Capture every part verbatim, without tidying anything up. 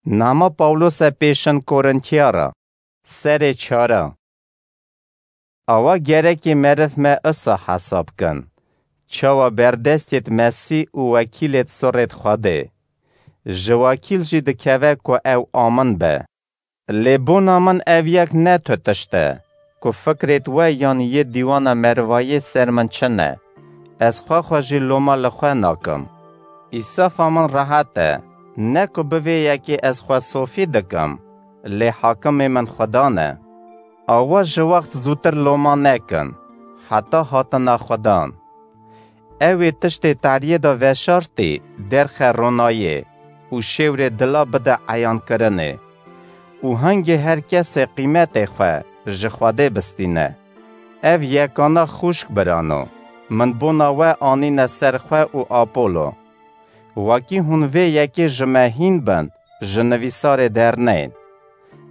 Nama Pawlose pêşin Korintiyara, serê çara. Awa gerekê meriv me isa hesab kin. Çawa berdestêt Mesî û wekîlêt surêt Xwedê. Ji wakîl jî dikeve ku ew amin be. Lê bona min ev yek ne tu tişt e, ku fikrêt we yan yê dîwana merivayê ser min çi ne. Ez xwe xwe jî loma li xwe nakim. Îsafa min rehet e, ne ku bi vê yekê ez xwe sofî dikim, lê hakimê min Xudan e. Awa ji wext zûtir loma nekin, heta hatina Xudan. Ew ê tiştê tariyê de veşartî derxe ronayê û şêwrê dila bide eyankirinê. Û hingê her kesê qîmetê xwe ji Xwedê bistîne. Ev yekana xûşk birano, min bona we anîne ser xwe û Apolo. Wekî hûn vê yekê ji me hîn bin, ji nivîsarê derneyên.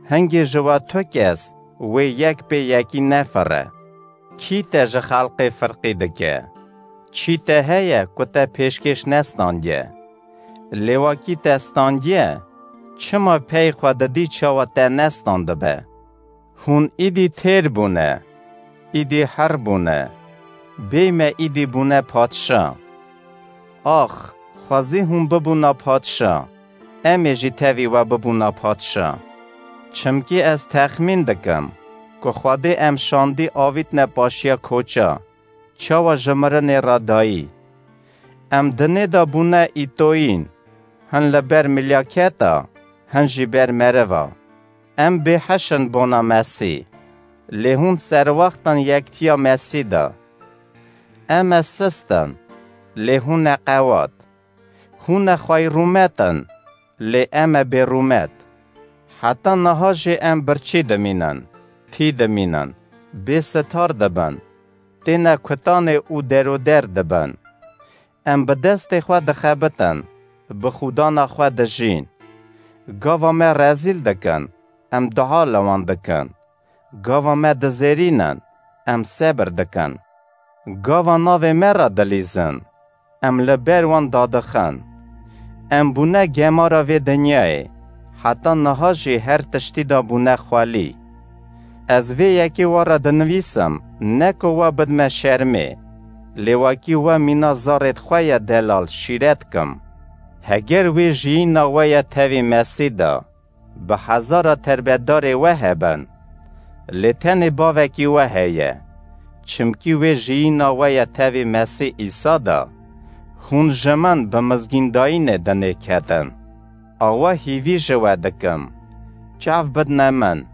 Hingê ji we tu kes wê yek pê yekî nefire. Kî te ji xelqê firqî dike? Çî te heye ku te pêşkêş nestandiye? Lê wekî te standiye, çima pey xwe didî çawa te nestandibe? Hûn îdî têr bûne, îdî her bûne, bêyme îdî bûne padşa. Ax, xwezî hûn bibûna padşa, em ê jî tevî we bibûna padşa. Çimkî ez texmîn dikim ku Xwedê em şandî avîtne paşiya koça, çawa ji mirinê re dayî. Em dinê de bûne îtoyîn, hin li ber milyaketa, hin jî ber meriva. Em bêheş in bona Mesî, lê hûn serwext in yektiya Mesî de. Em e sist in, lê hûn e qewat. Hûn e xweyrûmet in, lê em e bêrûmet. Heta niha jî em birçî dimînin, tî dimînin, bê sitar dibin, têne kutanê û deroder dibin. Em bi destê xwe dixebitin, bi xûdana xwe dijîn. Gava me rezîl dikin, em dua li wan dikin. Gava me dizêrînin, em sebir dikin. Gava navê me re dilîzin, em li ber wan dadixin. Em bûne gemara vê dinyayê, heta niha jî her tiştî de bûne xwelî. Ez vê yekê we re dinivîsim, ne ku we bidme şermê, lê wekî we mîna zarêt xwe ye delal şîret kim. Heger wê jiyîna we ye tevî Mesî de, bi hezara terbedarê we hebin, lê tenê bavekî we heye, çimkî wê jiyîna we ye tevî Mesî Îsa de, hûn ji min bi mizgîndayînê dinê ketin. Awa hîvî ji we dikim, çav bidne min.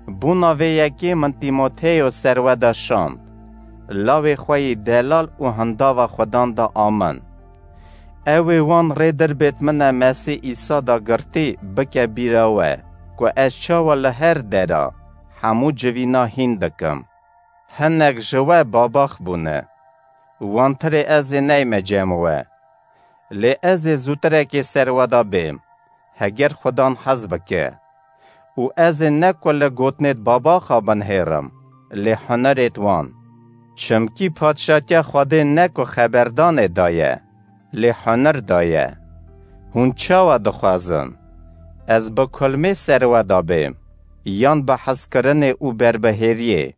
Bona vê yekê min Tîmoteyo ser we de şand, lawê xwe yî delal û hindava Xudan de amin. Ew ê wan rê dirbêt min e Mesîh Îsa da girtî bike bîra we, ku ez çawa li her dera hemû civîna hîn dikim. Hinek ji we babax bûne. Wantirê ez ê neyme cem we. Lê ez ê zûtirekê ser we da bêm, heger Xudan hez bike. Û ez ê ne ku li gotinêt babaxa binhêrim, lê hunerêt wan. Çimkî padşatiya Xwedê ne ku xeberdanê da ye, lê huner da ye. Hûn çawa dixwazin? Ez bi kulmê ser we da bêm, yan bi hezkirinê û berbihêriyê?